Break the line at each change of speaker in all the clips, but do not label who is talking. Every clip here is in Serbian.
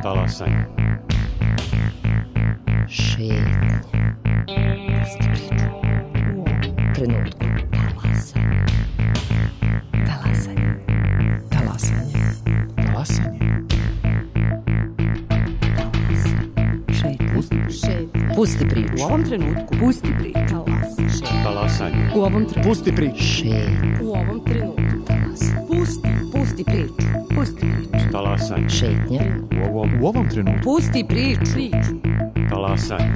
Talasanje.
Šetnje. Pusti priču. U ovom trenutku. Talasanje. Talasanje. Talasanje.
Talasanje.
Pusti priču.
U ovom trenutku. Pusti priču.
Talasanje.
U ovom trenutku.
Pusti priču.
Šetnje.
U ovom trenutku. Pusti priču. Pusti priču.
Talasanje.
Šetnje.
U ovom trenutku.
Pusti priču.
Talasanje.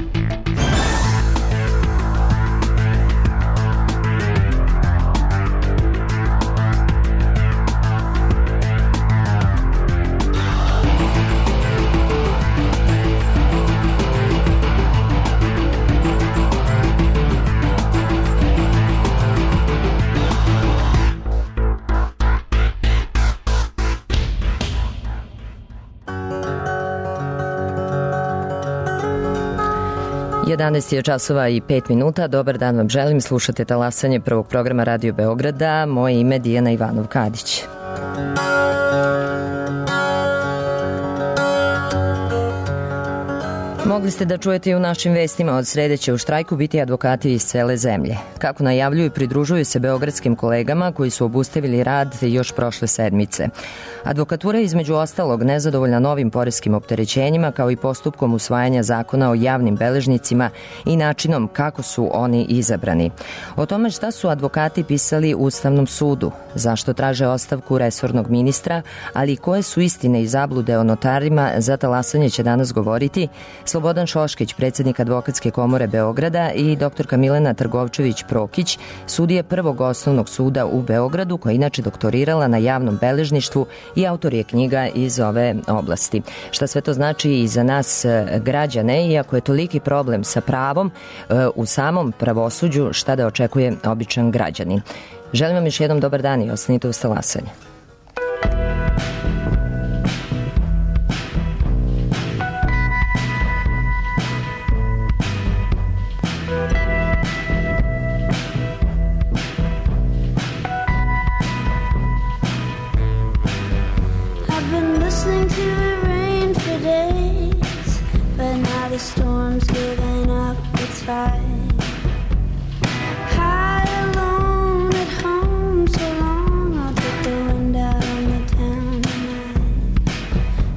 Jedanaest je časova i 5 minuta. Dobar dan vam želim. Slušate Talasanje prvog programa Radio Beograda. Moje ime je Dijana Ivanov-Kadić. Mogli ste da čujete i u našim vestima, od srede će u štrajku biti advokati iz cele zemlje. Kako najavljuju, pridružuju se beogradskim kolegama koji su obustavili rad još prošle sedmice. Advokatura je između ostalog nezadovoljna novim poreskim opterećenjima kao i postupkom usvajanja zakona o javnim beležnicima i načinom kako su oni izabrani. O tome šta su advokati pisali Ustavnom sudu, zašto traže ostavku resornog ministra, ali i koje su istine i zablude o notarima, za Talasanje će danas govoriti Slobodan Šoškić, predsjednik Advokatske komore Beograda, i doktorka Milena Trgovčević-Prokić, sudije Prvog osnovnog suda u Beogradu, koja je inače doktorirala na javnom beležništvu i autor je knjiga iz ove oblasti. Šta sve to znači i za nas građane, iako je toliki problem sa pravom u samom pravosuđu, šta da očekuje običan građanin. Želim vam još jednom dobar dan i ostanite uz Talasanje.
The storm's giving up its fight. High alone at home so long, I'll put the wind out on the town tonight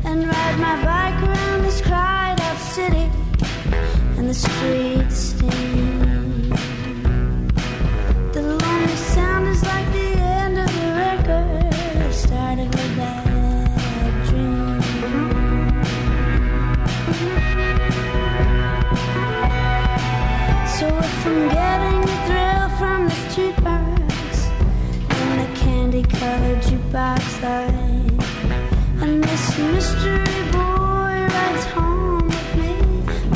and ride my bike around this cried out city and the streets steam. The lonely sound is like the end of the record, the start of a bad dream. So if I'm getting the thrill from the jukebox and the candy-colored jukebox light, and this mystery boy rides home with me,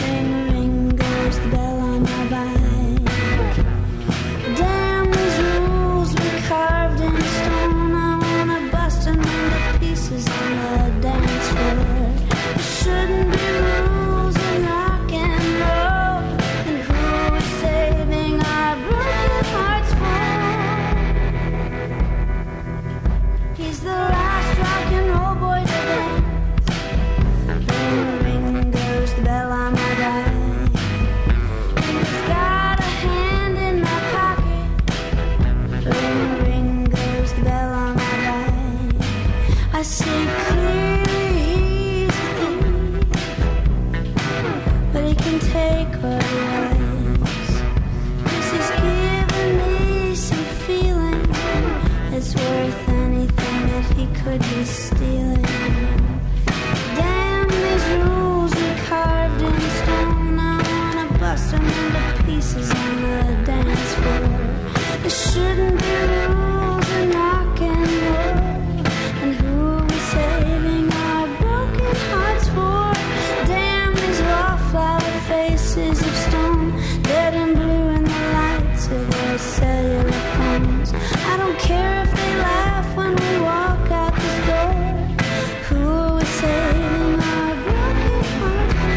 ring, ring goes the bell on my bike. Damn these rules we carved in stone, I wanna bust them into pieces on the dance floor. There shouldn't be rules in rock and roll, and who is saving our broken hearts for? He's the last rock and roll boy to dance. Ring, ring goes the bell on my bike, and he's got a hand in my pocket. Ring, ring goes the bell on my bike. I see clearly he's a thief, but he can take what he likes, 'cause he's given me some feeling it's worth anything that he could be stealing. Damn these rules we carved in stone, I wanna bust them into pieces on the dance floor. There shouldn't be rules in rock and roll, and who are we saving our broken hearts for? Damn these wallflower faces of stone, dead and blue in the lights of their cellular phones. I don't care if they laugh when we walk out this door. Who are we saving our broken hearts for?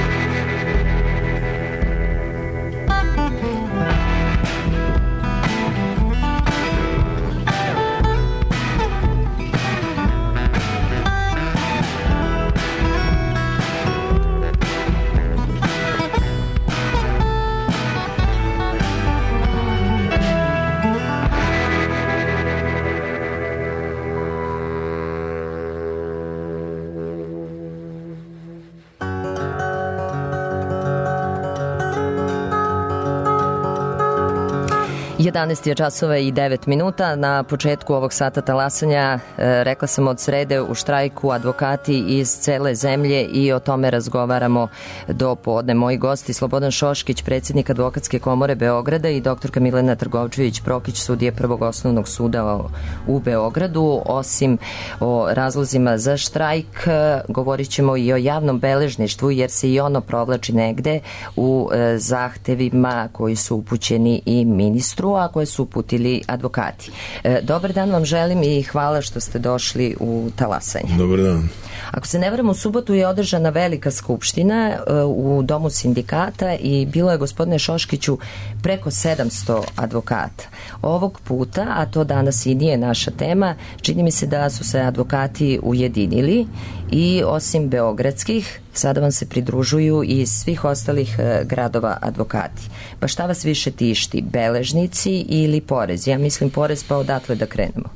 11 je časova i 9 minuta. Na početku ovog sata talasanja rekla sam od srede u štrajku advokati iz cele zemlje i o tome razgovaramo do podne. Moji gosti Slobodan Šoškić, predsjednik Advokatske komore Beograda i doktorka Milena Trgovčević-Prokić, sudije Prvog osnovnog suda u Beogradu. Osim o razlozima za štrajk, govorit ćemo i o javnom beležništvu, jer se i ono provlači negde u zahtevima koji su upućeni i ministru, a koje su uputili advokati. Dobar dan vam želim i hvala što ste došli u talasanje.
Dobar dan.
Ako se ne varam, u subotu je održana velika skupština u Domu sindikata i bilo je, gospodine Šoškiću, preko 700 advokata. Ovog puta, a to danas i nije naša tema, čini mi se da su se advokati ujedinili i osim beogradskih, sada vam se pridružuju i iz svih ostalih gradova advokati. Pa šta vas više tišti, beležnici ili porez? Ja mislim porez, pa odatle da krenemo.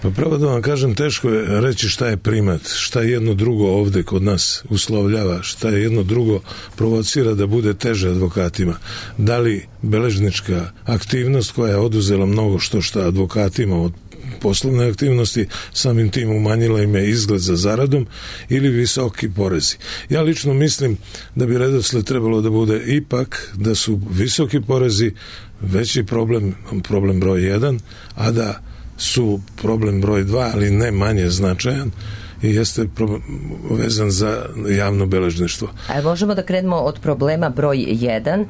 Pa pravo da vam kažem, teško je reći šta je primat, šta jedno drugo ovde kod nas uslovljava, šta jedno drugo provocira da bude teže advokatima. Da li beležnička aktivnost koja je oduzela mnogo što advokatima od poslovne aktivnosti, samim tim umanjila im je izgled za zaradom, ili visoki porezi. Ja lično mislim da bi redosled trebalo da bude ipak da su visoki porezi veći problem broj 1, a da su problem broj 2, ali ne manje značajan, i jeste vezan za javno beležništvo. A
možemo da krenemo od problema broj 1,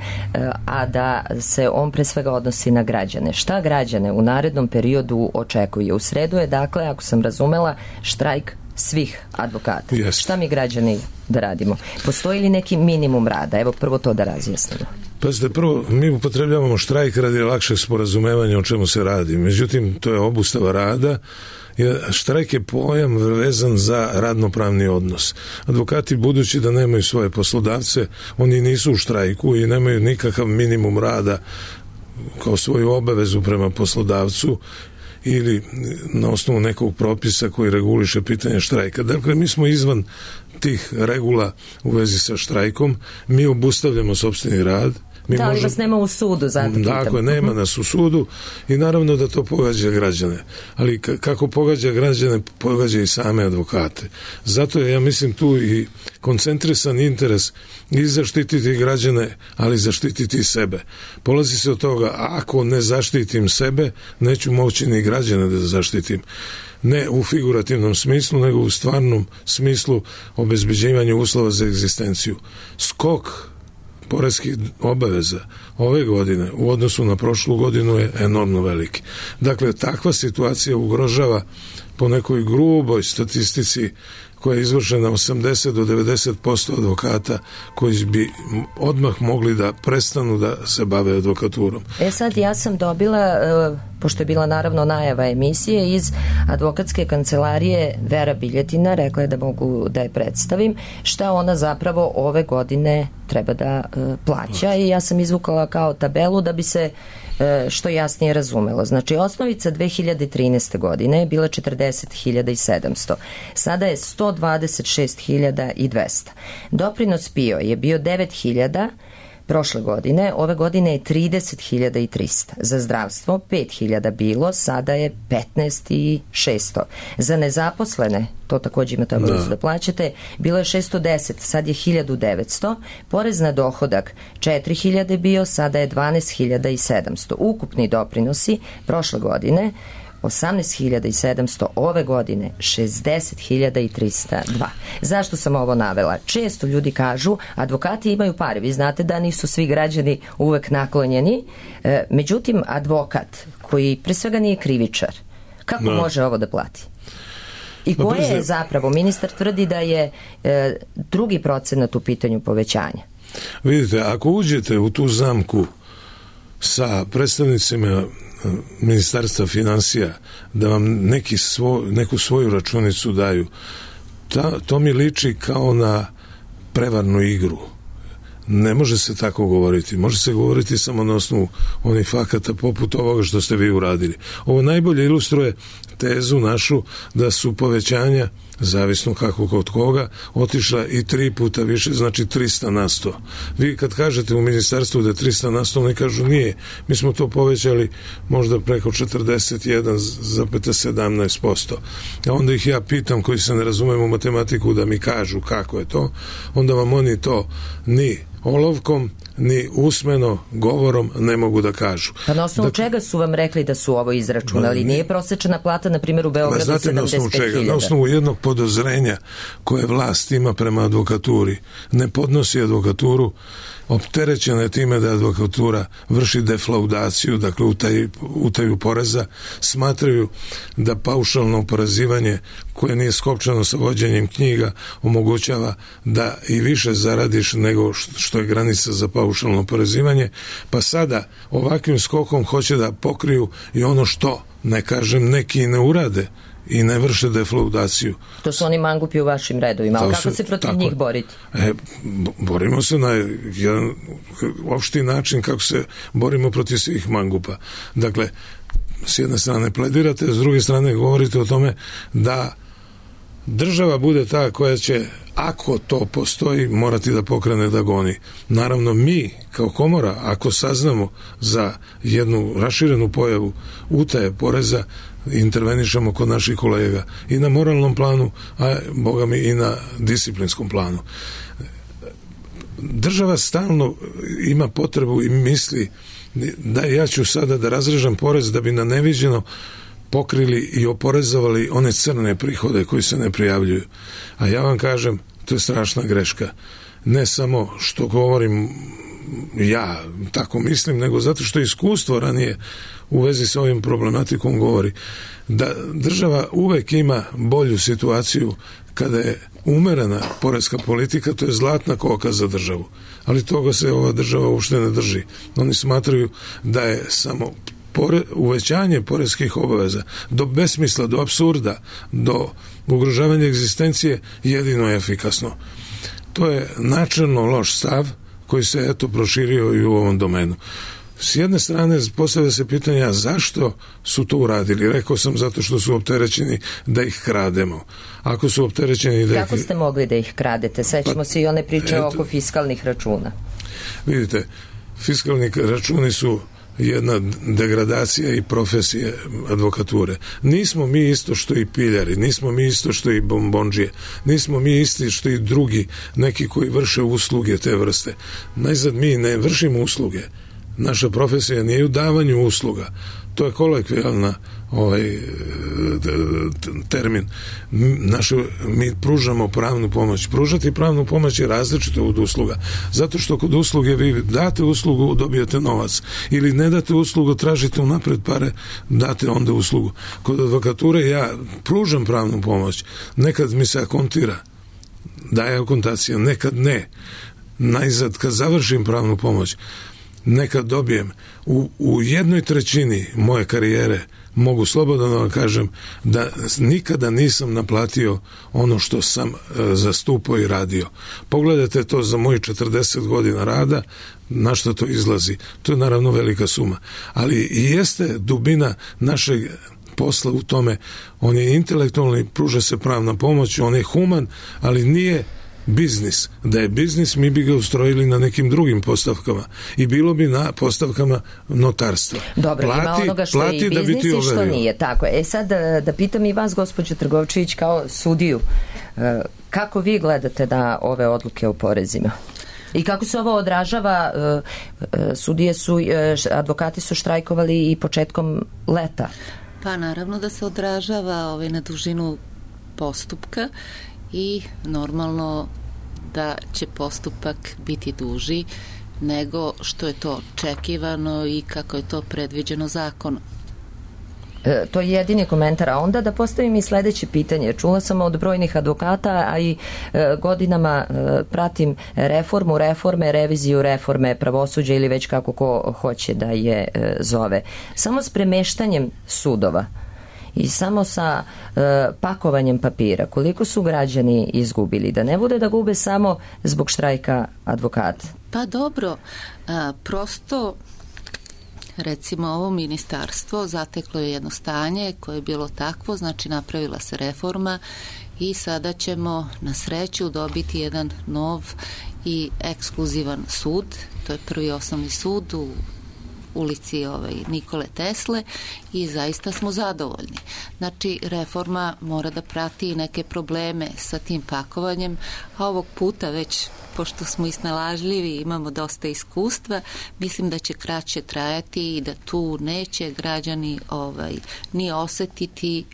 a da se on pre svega odnosi na građane. Šta građane u narednom periodu očekuje? U sredu je, dakle, ako sam razumela, štrajk svih advokata.
Yes.
Šta mi građani da radimo? Postoji li neki minimum rada? Evo prvo to da razjasnimo.
Pazite, prvo, mi upotrebljavamo štrajk radi lakšeg sporazumevanja o čemu se radi. Međutim, to je obustava rada. Štrajk je pojam vezan za radnopravni odnos. Advokati, budući da nemaju svoje poslodavce, oni nisu u štrajku i nemaju nikakav minimum rada kao svoju obavezu prema poslodavcu ili na osnovu nekog propisa koji reguliše pitanje štrajka. Dakle, mi smo izvan tih regula u vezi sa štrajkom, mi obustavljamo sopstveni rad.
Da, ali vas nema u sudu, zato pitam.
Dakle, nema nas u sudu i naravno da to pogađa građane. Ali kako pogađa građane, pogađa i same advokate. Zato je, ja mislim, tu i koncentrisan interes i zaštititi građane, ali zaštititi sebe. Polazi se od toga, ako ne zaštitim sebe, neću moći ni građane da zaštitim. Ne u figurativnom smislu, nego u stvarnom smislu obezbeđivanja uslova za egzistenciju. Skok poreskih obaveza ove godine u odnosu na prošlu godinu je enormno veliki. Dakle, takva situacija ugrožava po nekoj gruboj statistici koja je izvršena 80 do 90% advokata koji bi odmah mogli da prestanu da se bave advokaturom.
Sad ja sam dobila, pošto je bila naravno najava emisije, iz advokatske kancelarije Vera Biljetina, rekla je da mogu da je predstavim, šta ona zapravo ove godine treba da plaća, i ja sam izvukala kao tabelu da bi se što jasnije razumelo. Znači, osnovica 2013. godine je bila 40.700. Sada je 126.200. Doprinos PIO je bio 9.000 prošle godine, ove godine je 30.300. Za zdravstvo 5.000 bilo, sada je 15.600. Za nezaposlene, to takođe imate obavezu da plaćate, bilo je 610, sad je 1.900. Porez na dohodak 4.000 bio, sada je 12.700. Ukupni doprinosi prošle godine 18.700, ove godine 60.302. Zašto sam ovo navela? Često ljudi kažu, advokati imaju pare, vi znate da nisu svi građani uvek naklonjeni, međutim advokat koji pre svega nije krivičar, kako može ovo da plati? I koje je zapravo, ministar tvrdi da je drugi procenat u pitanju povećanja.
Vidite, ako uđete u tu zamku sa predstavnicima Ministarstva finansija da vam neku svoju računicu daju, to mi liči kao na prevarnu igru. Ne može se tako govoriti. Može se govoriti samo na osnovu onih fakata poput ovoga što ste vi uradili. Ovo najbolje ilustruje tezu našu da su povećanja zavisno kako kod koga, otišla i 3 puta više, znači 300 na 100. Vi kad kažete u ministarstvu da je 300 na 100, oni kažu nije. Mi smo to povećali možda preko 41,17%. A onda ih ja pitam, koji se ne razumem u matematiku, da mi kažu kako je to, onda vam oni to ni olovkom, ni usmeno govorom ne mogu da kažu.
Pa na osnovu čega su vam rekli da su ovo izračunali? Nije prosečna plata, na primjer, u Beogradu 75.000?
Na osnovu jednog podozrenja koje vlast ima prema advokaturi. Ne podnosi advokaturu, opterećena je time da advokatura vrši deflaudaciju, dakle utaju poreza, smatraju da paušalno oporezivanje koje nije skopčano sa vođenjem knjiga omogućava da i više zaradiš nego što je granica za paušalno oporezivanje, pa sada ovakvim skokom hoće da pokriju i ono što, ne kažem, neki ne urade i ne vrše deflaudaciju.
To su oni mangupi u vašim redovima, ali kako se protiv njih boriti?
Borimo se na jedan opšti način kako se borimo protiv svih mangupa. Dakle, s jedne strane pledirate, s druge strane govorite o tome da država bude ta koja će, ako to postoji, morati da pokrene da goni. Naravno, mi kao komora, ako saznamo za jednu raširenu pojavu utaje poreza, intervenišemo kod naših kolega i na moralnom planu, a boga mi i na disciplinskom planu. Država stalno ima potrebu i misli da ja ću sada da razrežem porez da bi na neviđeno pokrili i oporezovali one crne prihode koji se ne prijavljuju. A ja vam kažem, to je strašna greška. Ne samo što govorim ja tako mislim, nego zato što iskustvo ranije u vezi sa ovim problematikom govori da država uvek ima bolju situaciju kada je umerena poreska politika, to je zlatna koka za državu. Ali toga se ova država uopšte ne drži. Oni smatraju da je samo uvećanje poreskih obaveza do besmisla, do apsurda, do ugrožavanja egzistencije jedino je efikasno. To je načelno loš stav koji se eto proširio i u ovom domenu. S jedne strane postavlja se pitanja zašto su to uradili. Rekao sam zato što su opterećeni da ih krademo. Ako su opterećeni da
Kako ste mogli da ih kradete? Sećamo se i one priče oko fiskalnih računa.
Vidite, fiskalni računi su jedna degradacija i profesije advokature. Nismo mi isto što i piljari, nismo mi isto što i bombondžije, nismo mi isti što i drugi neki koji vrše usluge te vrste. Najzad mi ne vršimo usluge. Naša profesija nije u davanju usluga. To je kolokvijalna termin. Mi pružamo pravnu pomoć. Pružati pravnu pomoć je različito od usluga. Zato što kod usluge vi date uslugu, dobijete novac. Ili ne date uslugu, tražite unapred pare, date onda uslugu. Kod advokature ja pružam pravnu pomoć. Nekad mi se akontira, daje akontacija, nekad ne. Najzad, kad završim pravnu pomoć, nekad dobijem. U 1/3 moje karijere mogu slobodno da vam kažem da nikada nisam naplatio ono što sam zastupao i radio. Pogledajte to za mojih 40 godina rada, na što to izlazi. To je naravno velika suma. Ali i jeste dubina našeg posla u tome. On je intelektualni, pruža se pravna pomoć, on je human, ali nije biznis. Da je biznis, mi bi ga ustrojili na nekim drugim postavkama i bilo bi na postavkama notarstva.
Dobro, ima onoga što je i biznis i što nije. Tako je. Sad da pitam i vas, gospođo Trgovčević, kao sudiju, kako vi gledate na ove odluke o porezima? I kako se ovo odražava? Advokati su štrajkovali i početkom leta.
Pa naravno da se odražava na dužinu postupka i normalno da će postupak biti duži nego što je to očekivano i kako je to predviđeno zakonom.
To je jedini komentar. A onda da postavim i sledeće pitanje. Čula sam od brojnih advokata, a i godinama pratim reforme, reviziju reforme pravosuđa ili već kako ko hoće da je zove. Samo s premeštanjem sudova i samo sa pakovanjem papira, koliko su građani izgubili? Da ne bude da gube samo zbog štrajka advokata.
Pa dobro, prosto recimo ovo ministarstvo zateklo je jedno stanje koje je bilo takvo, znači napravila se reforma i sada ćemo na sreću dobiti jedan nov i ekskluzivan sud. To je Prvi osnovni sud u ulici Nikole Tesle i zaista smo zadovoljni. Znači, reforma mora da prati neke probleme sa tim pakovanjem, a ovog puta već, pošto smo isnalažljivi, imamo dosta iskustva, mislim da će kraće trajati i da tu neće građani ni osetiti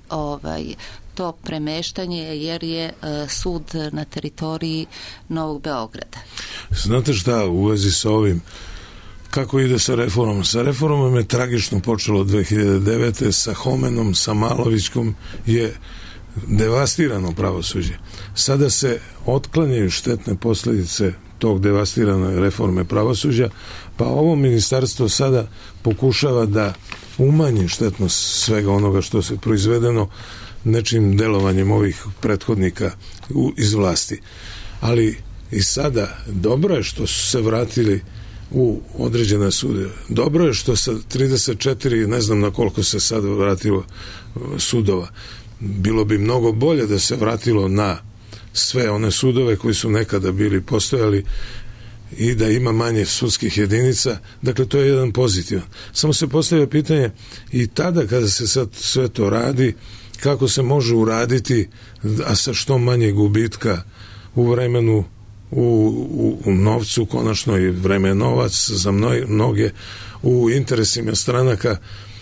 to premeštanje, jer je sud na teritoriji Novog Beograda.
Znate šta, u vezi sa ovim, kako ide sa reformom? Sa reformom je tragično počelo 2009. Sa Homenom, sa Malovićkom je devastirano pravosuđe. Sada se otklanjaju štetne posljedice tog devastirane reforme pravosuđa, pa ovo ministarstvo sada pokušava da umanji štetnost svega onoga što se proizvedeno nečim delovanjem ovih prethodnika iz vlasti. Ali i sada dobro je što su se vratili u određene sude. Dobro je što sa 34, ne znam na koliko se sad vratilo sudova. Bilo bi mnogo bolje da se vratilo na sve one sudove koji su nekada bili postojali i da ima manje sudskih jedinica. Dakle, to je jedan pozitivan. Samo se postavlja pitanje i tada kada se sad sve to radi, kako se može uraditi, a sa što manje gubitka u vremenu, u novcu, konačno i vreme je novac za mnoge, u interesima stranaka.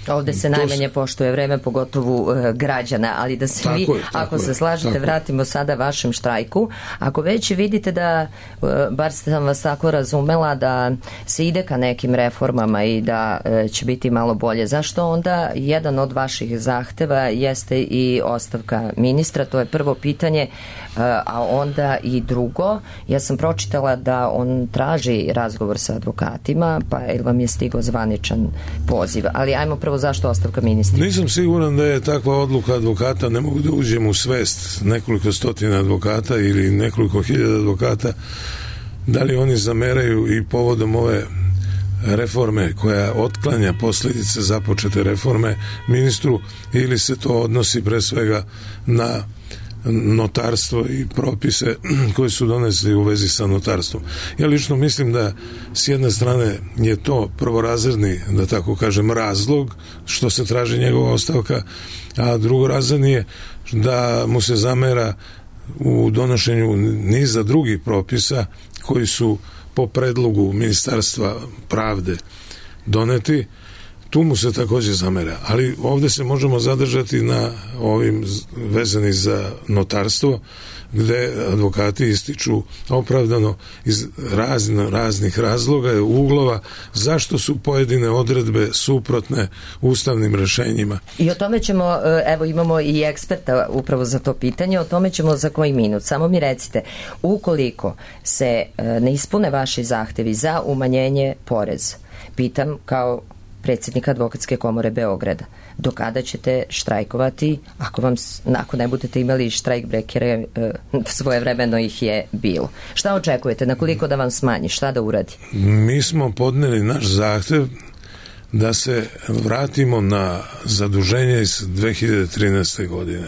Ovde se najmanje poštuje vreme, pogotovo građana, ali da se vi, ako se slažete, vratimo sada vašem štrajku. Ako već vidite da, bar sam vas tako razumela, da se ide ka nekim reformama i da će biti malo bolje, zašto onda jedan od vaših zahteva jeste i ostavka ministra? To je prvo pitanje, a onda i drugo, ja sam pročitala da on traži razgovor sa advokatima, pa vam je stigao zvaničan poziv, ali ajmo prvo zašto ostavka ministra? Nisam
siguran da je takva odluka advokata, ne mogu da uđem u svest nekoliko stotina advokata ili nekoliko hiljada advokata, da li oni zameraju i povodom ove reforme koja otklanja posljedice započete reforme ministru, ili se to odnosi pre svega na notarstvo i propise koji su donesli u vezi sa notarstvom. Ja lično mislim da s jedne strane je to prvorazredni, da tako kažem, razlog što se traži njegova ostavka, a drugorazredni je da mu se zamera u donošenju niza drugih propisa koji su po predlogu Ministarstva pravde doneti. Tu mu se također zamera, ali ovdje se možemo zadržati na ovim vezani za notarstvo, gde advokati ističu opravdano iz raznih razloga i uglova zašto su pojedine odredbe suprotne ustavnim rešenjima.
I o tome ćemo, evo imamo i eksperta upravo za to pitanje, o tome ćemo za koji minut. Samo mi recite, ukoliko se ne ispune vaši zahtevi za umanjenje poreza, pitam kao predsjednika Advokatske komore Beograda, do kada ćete štrajkovati ako ne budete imali štrajk brekere, svojevremeno ih je bilo. Šta očekujete? Na koliko da vam smanji? Šta da uradi?
Mi smo podneli naš zahtev da se vratimo na zaduženje iz 2013. godine.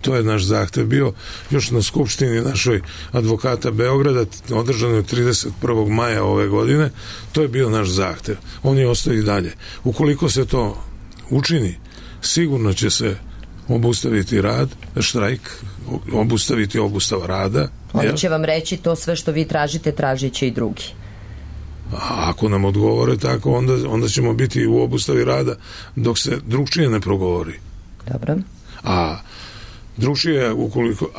To je naš zahtev bio još na skupštini našoj advokata Beograda, održano 31. maja ove godine. To je bio naš zahtev. On je ostao i dalje. Ukoliko se to učini, sigurno će se obustaviti rad, štrajk, obustaviti obustava rada.
Oni će vam reći to sve što vi tražite, tražit će i drugi.
A ako nam odgovore tako, onda ćemo biti u obustavi rada dok se drugčije ne progovori.
Dobro.
A drugčije,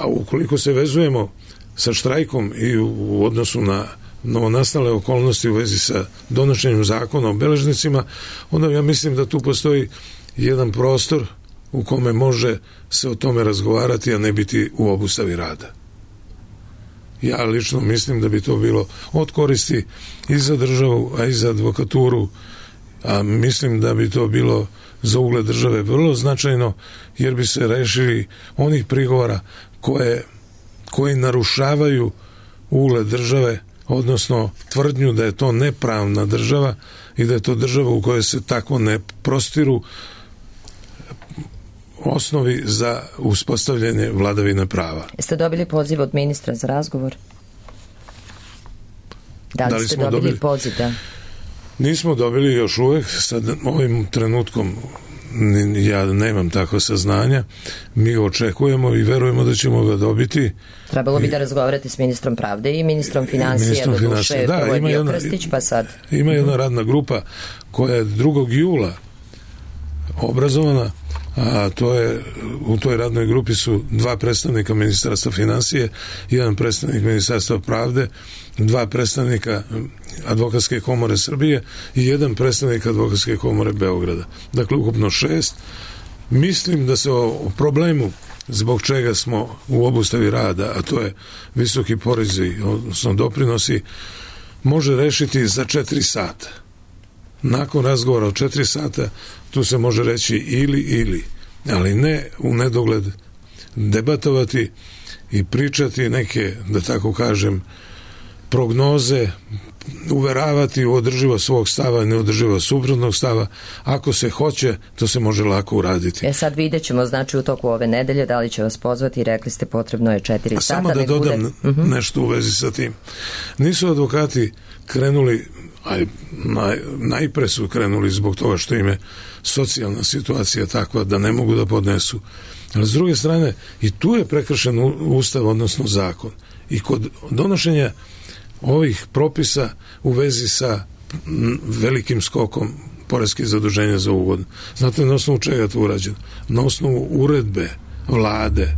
ukoliko se vezujemo sa štrajkom i u odnosu na novonastale okolnosti u vezi sa donošenjem zakona o beležnicima, onda ja mislim da tu postoji jedan prostor u kome može se o tome razgovarati, a ne biti u obustavi rada. Ja lično mislim da bi to bilo od koristi i za državu, a i za advokaturu, a mislim da bi to bilo za ugled države vrlo značajno, jer bi se rešili onih prigovora koji narušavaju ugled države, odnosno tvrdnju da je to nepravna država i da je to država u kojoj se tako ne prostiru osnovi za uspostavljanje vladavine prava.
Jeste dobili poziv od ministra za razgovor? Da li ste dobili poziv? Da?
Nismo dobili još uvek, sad ovim trenutkom ja nemam takvo saznanja, mi ga očekujemo i verujemo da ćemo ga dobiti.
Trebalo bi da razgovarate s ministrom pravde i ministrom financija, do duše prvo je bio Krstić, pa sad.
Ima jedna radna grupa koja je 2. jula obrazovana, a to je, u toj radnoj grupi su 2 predstavnika Ministarstva financije, 1 predstavnik Ministarstva pravde, 2 predstavnika Advokatske komore Srbije i 1 predstavnik Advokatske komore Beograda. Dakle, ukupno 6. Mislim da se o problemu zbog čega smo u obustavi rada, a to je visoki porezi, odnosno doprinosi, može rešiti za 4 sata. Nakon razgovora od 4 sata tu se može reći ili, ali ne u nedogled debatovati i pričati neke, da tako kažem, prognoze, uveravati u održivost svog stava i neodrživost suprotnog stava. Ako se hoće, to se može lako uraditi.
Sad vidjet ćemo, znači, u toku ove nedelje da li će vas pozvati, rekli ste potrebno je 4 sata.
Samo da dodam nešto u vezi sa tim. Nisu advokati krenuli, najpre su krenuli zbog toga što im je socijalna situacija takva da ne mogu da podnesu. Ali s druge strane, i tu je prekršen ustav, odnosno zakon. I kod donošenja ovih propisa u vezi sa velikim skokom poreskih zaduženja za ovu godinu. Znate na osnovu čega to urađeno? Na osnovu uredbe vlade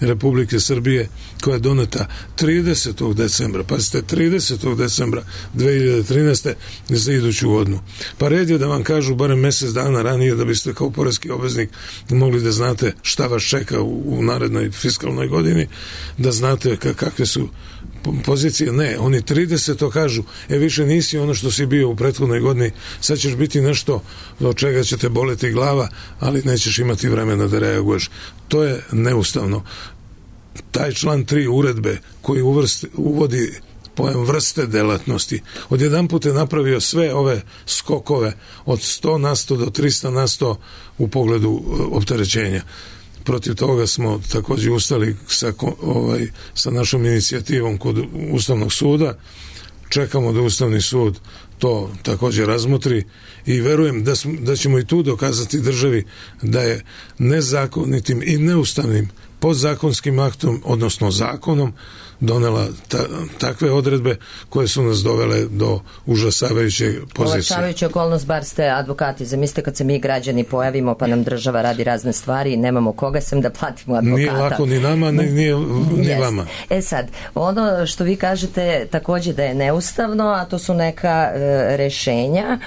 Republike Srbije koja je doneta 30. decembra, pazite, 30. decembra 2013. za iduću godinu. Pa red je da vam kažu barem mesec dana ranije da biste kao poreski obveznik mogli da znate šta vas čeka u narednoj fiskalnoj godini, da znate kakve su pozicije. Ne, oni 30. kažu, više nisi ono što si bio u prethodnoj godini, sad ćeš biti nešto od čega će te boleti glava, ali nećeš imati vremena da reaguješ. To je neustavno. Taj član 3 uredbe koji uvodi pojam vrste delatnosti, odjedanput je napravio sve ove skokove od 100 na 100 do 300 na 100 u pogledu opterećenja. Protiv toga smo također ustali sa našom inicijativom kod Ustavnog suda. Čekamo da Ustavni sud to također razmotri i verujem da ćemo i tu dokazati državi da je nezakonitim i neustavnim podzakonskim aktom, odnosno zakonom, donela takve odredbe koje su nas dovele do užasavajuće pozicije.
Olakšavajuća okolnost, bar ste advokati. Zamislite kad se mi građani pojavimo pa nam država radi razne stvari i nemamo koga sem da platimo advokata.
Nije lako ni nama, ni vama.
Sad, ono što vi kažete također da je neustavno, a to su neka rešenja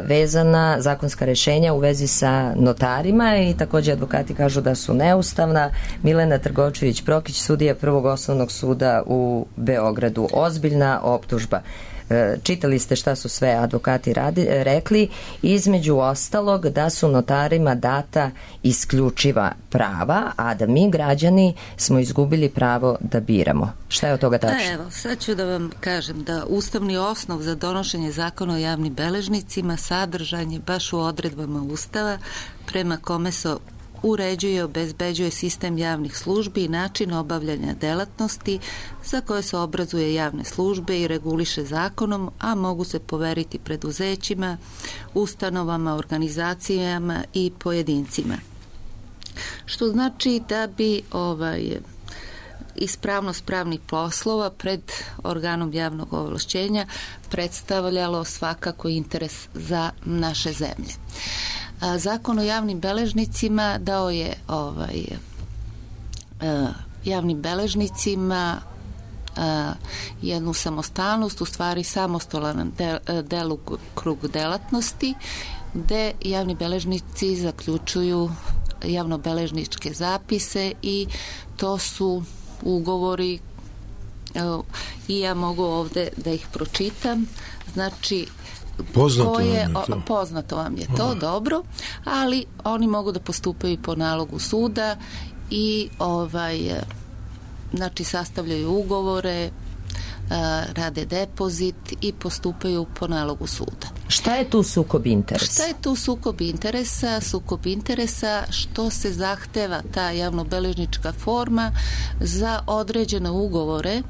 vezana, zakonska rešenja u vezi sa notarima i također advokati kažu da su neustavna. Milena Trgovčević-Prokić, sudija Prvog osnovnog suda u Beogradu. Ozbiljna optužba. Čitali ste šta su sve advokati rekli, između ostalog da su notarima data isključiva prava, a da mi građani smo izgubili pravo da biramo. Šta je od toga tačno?
Evo, sad ću da vam kažem da ustavni osnov za donošenje zakona o javnim beležnicima sadržan je baš u odredbama Ustava prema kome se uređuje i obezbeđuje sistem javnih službi i način obavljanja delatnosti za koje se obrazuje javne službe i reguliše zakonom, a mogu se poveriti preduzećima, ustanovama, organizacijama i pojedincima. Što znači da bi ispravnost pravnih poslova pred organom javnog ovlašćenja predstavljalo svakako interes za naše zemlje. Zakon o javnim beležnicima dao je javnim beležnicima jednu samostalnost, u stvari samostalan delokrug delatnosti, gde javni beležnici zaključuju javnobeležničke zapise i to su ugovori i ja mogu ovde da ih pročitam. Znači, poznato vam je to, dobro, ali oni mogu da postupaju po nalogu suda i znači sastavljaju ugovore, rade depozit i postupaju po nalogu suda.
Šta je tu sukob interesa?
Šta je tu sukob interesa? Sukob interesa što se zahteva ta javnobeležnička forma za određene ugovore,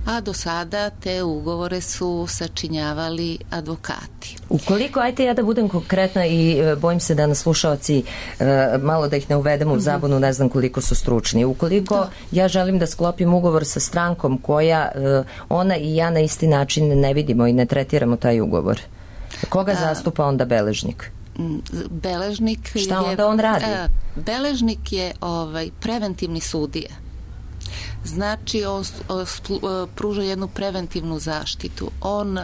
a do sada te ugovore su sačinjavali advokati.
Ukoliko, ajte ja da budem konkretna i bojim se da nas slušaoci malo da ih ne uvedemo u zabunu, ne znam koliko su stručni. Ukoliko ja želim da sklopim ugovor sa strankom koja ona i ja na isti način ne vidimo i ne tretiramo taj ugovor, koga zastupa onda beležnik?
Beležnik
šta onda on radi?
Beležnik je preventivni sudija. Znači, on pruža jednu preventivnu zaštitu. On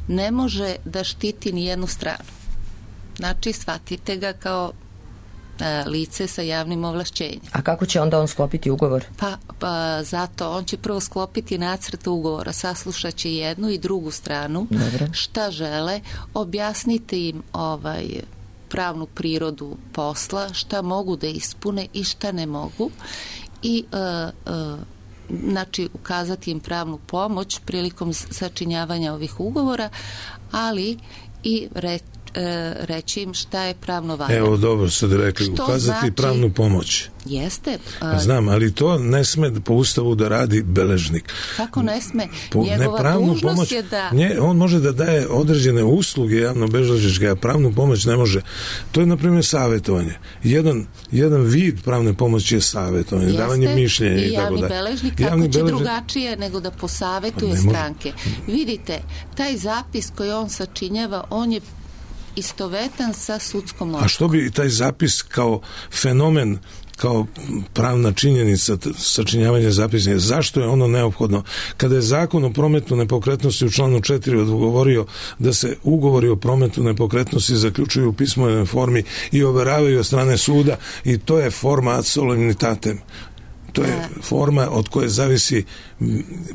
ne može da štiti ni jednu stranu. Znači, shvatite ga kao lice sa javnim ovlašćenjem.
A kako će onda on sklopiti ugovor?
Pa zato on će prvo sklopiti nacrt ugovora, saslušat će jednu i drugu stranu.
Dobre.
Šta žele, objasnite im pravnu prirodu posla, šta mogu da ispune i šta ne mogu, i znači ukazati im pravnu pomoć prilikom sačinjavanja ovih ugovora, ali i reći im šta je pravno valjano.
Evo, dobro ste rekli, ukazati znači, pravnu pomoć.
Jeste.
Znam, ali to ne sme po ustavu da radi beležnik.
Kako ne sme? Njegova dužnost je da...
On može da daje određene usluge javno-beležničke, a pravnu pomoć ne može. To je, na primjer, savjetovanje. Jedan vid pravne pomoći je savjetovanje, davanje mišljenja i tako dalje.
I javni beležnik, kako će drugačije nego da posavetuje stranke. Vidite, taj zapis koji on sačinjava, on je istovetan sa sudskom odlukom.
A što bi taj zapis kao fenomen, kao pravna činjenica sačinjavanja zapisnika, zašto je ono neophodno? Kada je zakon o prometu nepokretnosti u članu 4 odgovorio da se ugovori o prometu nepokretnosti zaključuju u pismenoj formi i overavaju od strane suda, i to je forma ad solemnitatem. To je forma od koje zavisi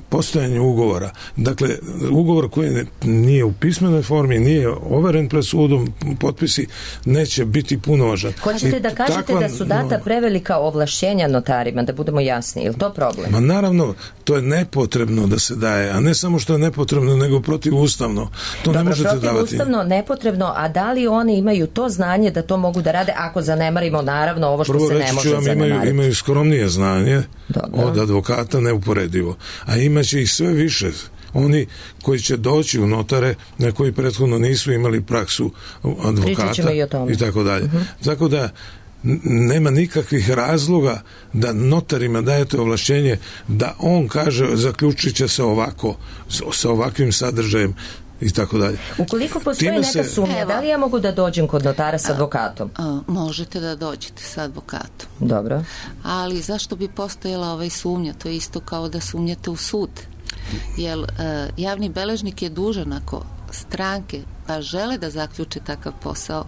postojanje ugovora. Dakle, ugovor koji nije u pismenoj formi, nije overen pred sudom, potpisi, neće biti punovažan.
Hoćete da kažete da su data prevelika ovlašćenja notarima, da budemo jasni, je li to problem?
Ma naravno, to je nepotrebno da se daje, a ne samo što je nepotrebno, nego protivustavno. To ne možete davati.
Protivustavno, nepotrebno, a da li oni imaju to znanje da to mogu da rade, ako zanemarimo naravno ovo što se ne može zanemariti?
Imaju skromnije znanje od advokata, neuporedivo. A imaće ih sve više. Oni koji će doći u notare, na koji prethodno nisu imali praksu advokata i tako dalje. Tako da nema nikakvih razloga da notarima dajete ovlašćenje da on kaže zaključit će se ovako, sa ovakvim sadržajem i tako dalje.
Ukoliko postoji neka sumnja, da li ja mogu da dođem kod notara s advokatom?
Možete da dođete s advokatom.
Dobro.
Ali zašto bi postojala sumnja? To je isto kao da sumnjate u sud. Jer javni beležnik je dužan, ako stranke pa žele da zaključe takav posao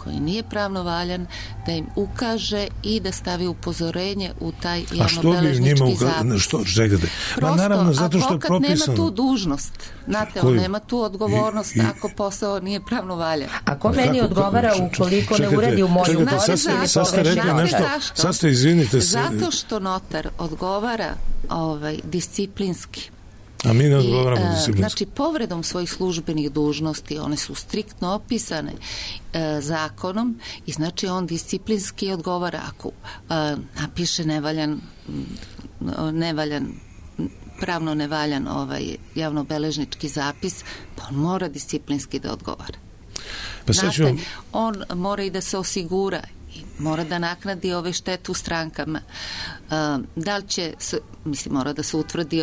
koji nije pravno valjan, da im ukaže i da stavi upozorenje u taj javnobeležnički zapis.
Što čekate?
Prosto, naravno, zato što advokat nema tu dužnost. Znate, on nema tu odgovornost ako posao nije pravno valjan.
A ko meni odgovara ukoliko ne uredi u moju korist?
Sad ste rekli nešto. Sad ste, izvinite se.
Zato što notar odgovara disciplinski.
A mi ne odgovaramo disciplinski.
Znači, povredom svojih službenih dužnosti, one su striktno opisane zakonom, i znači on disciplinski odgovara ako napiše pravno nevaljan javnobeležnički zapis, pa on mora disciplinski da odgovara.
Pa
znate, on mora i da se osigura, mora da naknadi štetu strankama. Da li će mora da se utvrdi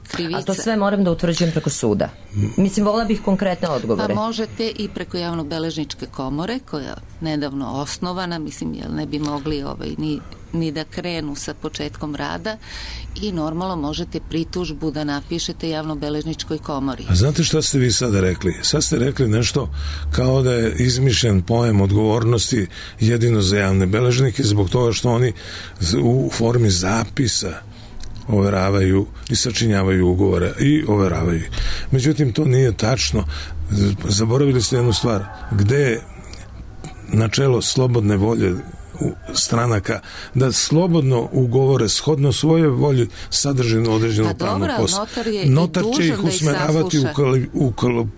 krivica.
A to sve moram da utvrđujem preko suda. Volila bih konkretne odgovore.
Pa možete i preko javnobeležničke komore, koja je nedavno osnovana, jer ne bi mogli ni da krenu sa početkom rada, i normalno možete pritužbu da napišete javnobeležničkoj komori.
A znate šta ste vi sada rekli? Sad ste rekli nešto kao da je izmišljen pojam odgovornosti jedino za javne beležnike, zbog toga što oni u formi zapisa overavaju i sačinjavaju ugovore i overavaju. Međutim, to nije tačno. Zaboravili ste jednu stvar. Gde je načelo slobodne volje stranaka da slobodno ugovore shodno svoje volji sadržinu određenog pravnog posla. Notar će ih usmeravati,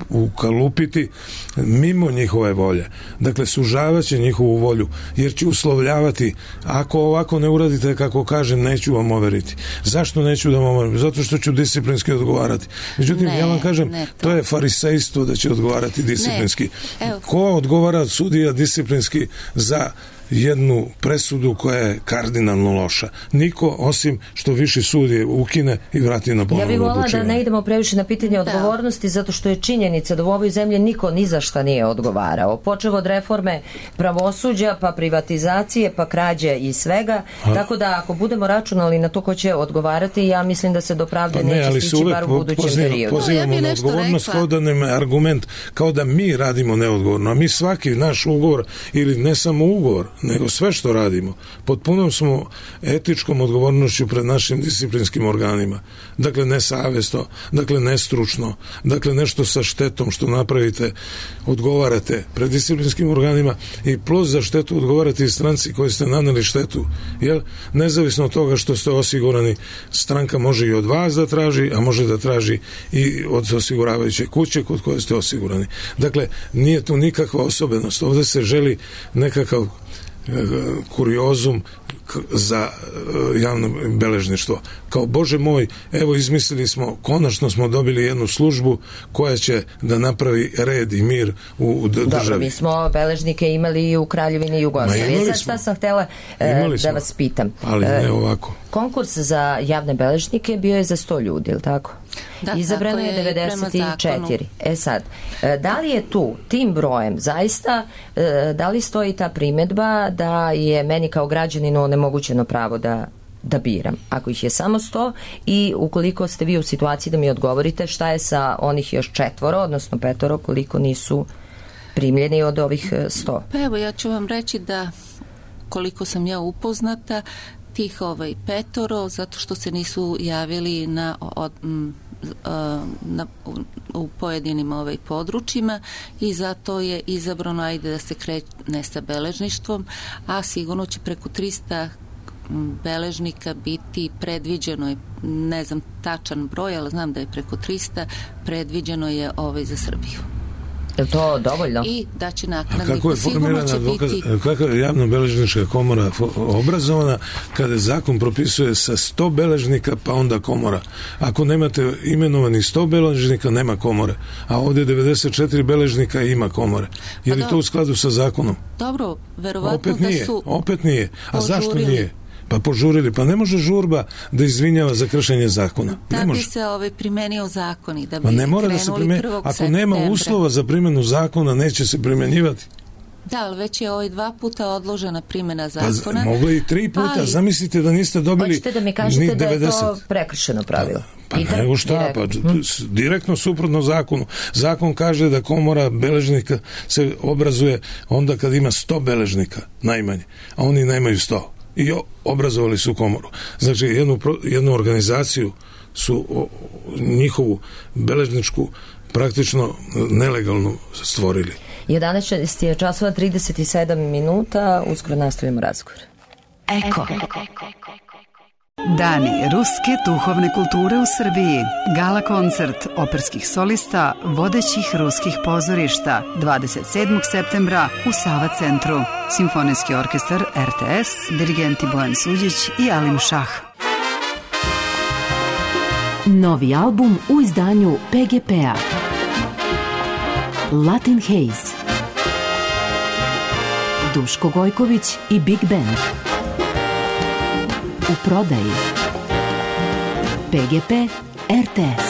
ukalupiti mimo njihove volje. Dakle, sužavaće njihovu volju, jer će uslovljavati, ako ovako ne uradite kako kažem, neću vam overiti. Zašto neću da vam overim? Zato što ću disciplinski odgovarati. Međutim, ja vam kažem, to je farisejstvo da će odgovarati disciplinski. Ko odgovara sudija disciplinski za jednu presudu koja je kardinalno loša? Niko, osim što viši sud je ukine i vrati na ponovno odlučivanje.
Ja bih volila da ne idemo previše na pitanje odgovornosti, zato što je činjenica da u ovoj zemlji niko ni za šta nije odgovarao. Počeo od reforme pravosuđa, pa privatizacije, pa krađe i svega. Tako da ako budemo računali na to ko će odgovarati, ja mislim da se do pravde neće stići bar u budućem periodu.
Pozivamo na odgovornost kao da nam je argument, kao da mi radimo neodgovorno, a mi svaki naš ugovor, ili ne samo ugovor, nego sve što radimo, pod punom smo etičkom odgovornošću pred našim disciplinskim organima. Dakle, nesavjesno, dakle, nestručno, dakle, nešto sa štetom što napravite, odgovarate pred disciplinskim organima i plus za štetu odgovarate i stranci koji ste naneli štetu. Jel? Nezavisno od toga što ste osigurani, stranka može i od vas da traži, a može da traži i od osiguravajuće kuće kod koje ste osigurani. Dakle, nije tu nikakva osobenost. Ovdje se želi nekakav kuriozum za javno beležništvo. Kao, Bože moj, evo izmislili smo, konačno smo dobili jednu službu koja će da napravi red i mir u državi.
Dobro, mi smo beležnike imali i u Kraljevini Jugoslavije. Sad šta sam htjela da vas pitam.
Ali ne ovako.
Konkurs za javne beležnike bio je za 100 ljudi, ili tako?
Da,
izabrano je 94. Sad, da li je tu tim brojem zaista, da li stoji ta primjedba da je meni kao građaninu onemogućeno pravo da biram? Ako ih je samo 100 i ukoliko ste vi u situaciji da mi odgovorite šta je sa onih još 4, odnosno 5, koliko nisu primljeni od ovih 100?
Pa evo, ja ću vam reći da koliko sam ja upoznata, tih 5, zato što se nisu javili u pojedinim područjima i zato je izabrano, ajde da se krene sa beležništvom, a sigurno će preko 300 beležnika biti predviđeno je, ne znam tačan broj, ali znam da je preko 300, predviđeno je za Srbiju.
Je li to dovoljno?
I da će naknadnik,
kako je formirana kako je javno-beležnička komora obrazovana kada zakon propisuje sa 100 beležnika pa onda komora. Ako nemate imenovani 100 beležnika, nema komore. A ovdje 94 beležnika ima komore. Je li to u skladu sa zakonom?
Dobro, verovatno da su...
Opet nije. A zašto nije? Pa požurili. Pa ne može žurba da izvinjava za kršenje zakona.
Da bi se primenio zakon i da bi
ne mora da se ako nema uslova za primjenu zakona, neće se primjenjivati.
Da, ali već je 2 puta odložena primjena zakona.
Pa mogli i 3 puta. Zamislite da niste dobili
hoćete da mi kažete da je to prekršeno pravilo?
Pa nego šta, direktno suprotno zakonu. Zakon kaže da komora beležnika se obrazuje onda kad ima 100 beležnika, najmanje. A oni nemaju 100. I obrazovali su komoru. Znači, jednu organizaciju su njihovu beležničku praktično nelegalno stvorili.
11 je časova 37 minuta, uskoro nastavljamo razgovor. Eko.
Dani ruske duhovne kulture u Srbiji. Gala koncert operskih solista vodećih ruskih pozorišta 27. septembra u Sava centru. Simfonijski orkestar RTS, dirigenti Bojan Suđić i Alim Šah.
Novi album u izdanju PGP-a. Latin Haze. Duško Gojković i Big Band. U prodaji. PGP RTS.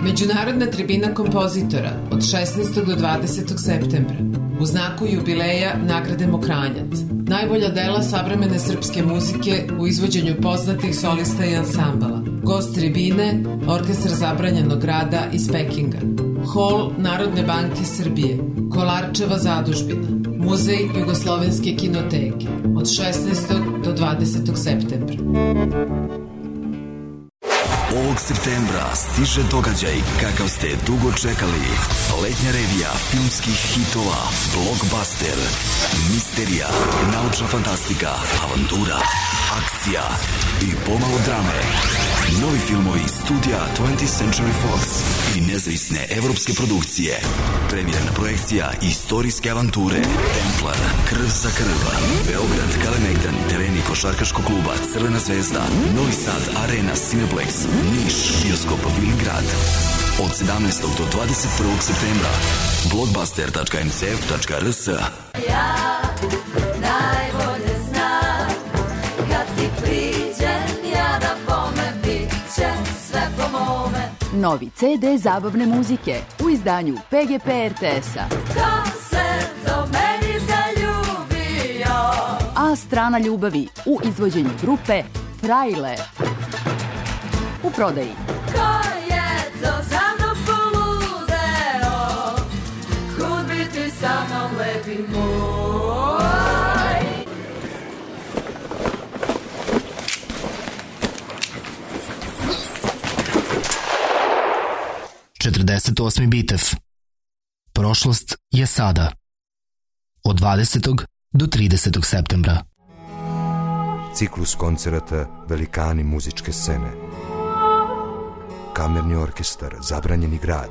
Međunarodna tribina kompozitora od 16. do 20. septembra u znaku jubileja nagrade Mokranjac. Najbolja dela savremene srpske muzike u izvođenju poznatih solista i ansambala. Gost tribine, Orkestar zabranjenog rada iz Pekinga. Hol Narodne banke Srbije, Kolarčeva zadužbina, Muzej Jugoslovenske kinoteke od 16. do 20. septembra.
Ovog septembra stiže događaj kakav ste dugo čekali. Letnja revija filmskih hitova, blockbuster, misterija, naučna fantastika, avantura, akcija i pomalo drame. Novi filmovi studija 20th Century Fox i nezavisne evropske produkcije. Premijerna projekcija istorijske avanture Templar, Krv za krv, Beograd, Kalemegdan, tereni košarkaškog kluba Crvena zvezda, Novi Sad, Arena, Cineplex, Niš, bioskop Viligrad. Od 17. do 21. septembra blockbuster.ncf.rs.
Ja najbolje znam kad ti priđem ja na bome bit će sve po mome.
Novi CD zabavne muzike u izdanju PGP RTS-a.
Ko se do meni zaljubio?
A strana ljubavi u izvođenju grupe Trailer. U prodaji.
Ko je to za mnom poludeo? Kud bi ti sa mnom lepi moj?
48. bitev. Prošlost je sada. Od 20. do 30. septembra.
Ciklus koncerata Velikani muzičke scene. Kamerni orkestar Zabranjeni grad.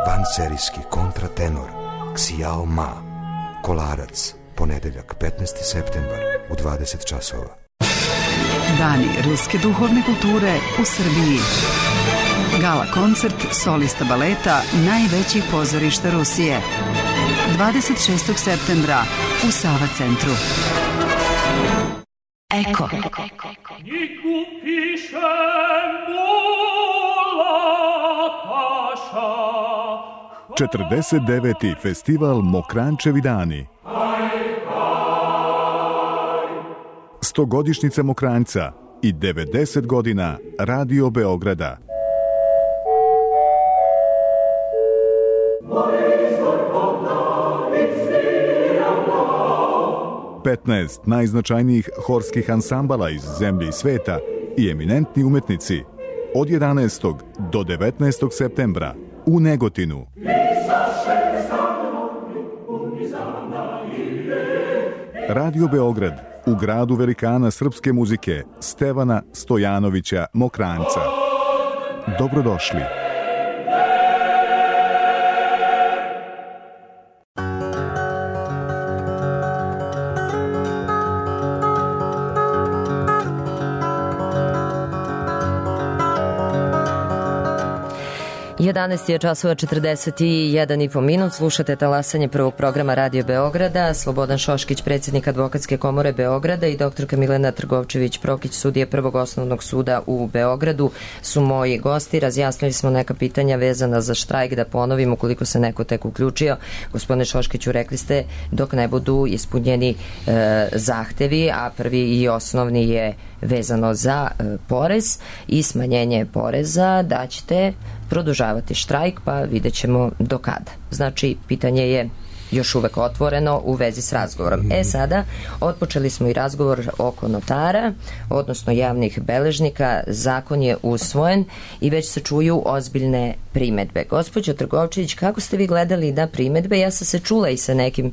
Vanserijski kontratenor Xiao Ma. Kolarac, ponedeljak 15. septembar u 20 časova.
Dani ruske duhovne kulture u Srbiji. Gala koncert solista baleta najvećih pozorišta Rusije. 26. septembra u Sava centru. Eko.
49. festival Mokrančevi dani. 100-godišnjica Mokranjca i 90 godina Radio Beograda. Petnaest najznačajnijih horskih ansambala iz zemlje i sveta i eminentni umetnici od 11. do 19. septembra u Negotinu. Radio Beograd u gradu velikana srpske muzike Stevana Stojanovića Mokranjca. Dobrodošli.
Jedanaest je časova 41,5 minut. Slušate talasanje prvog programa Radio Beograda. Slobodan Šoškić, predsjednik Advokatske komore Beograda, i doktorka Milena Trgovčević-Prokić, sudija Prvog osnovnog suda u Beogradu, su moji gosti. Razjasnili smo neka pitanja vezana za štrajk, da ponovim ukoliko se neko tek uključio. Gospodine Šoškiću, rekli ste dok ne budu ispunjeni zahtevi, a prvi i osnovni je vezano za porez i smanjenje poreza, da ćete produžavati štrajk, pa vidjet ćemo do kada. Znači, pitanje je još uvek otvoreno u vezi s razgovorom. Sada, otpočeli smo i razgovor oko notara, odnosno javnih beležnika. Zakon je usvojen i već se čuju ozbiljne primetbe. Gospođo Trgovčević, kako ste vi gledali na primetbe? Ja sam se čula i sa nekim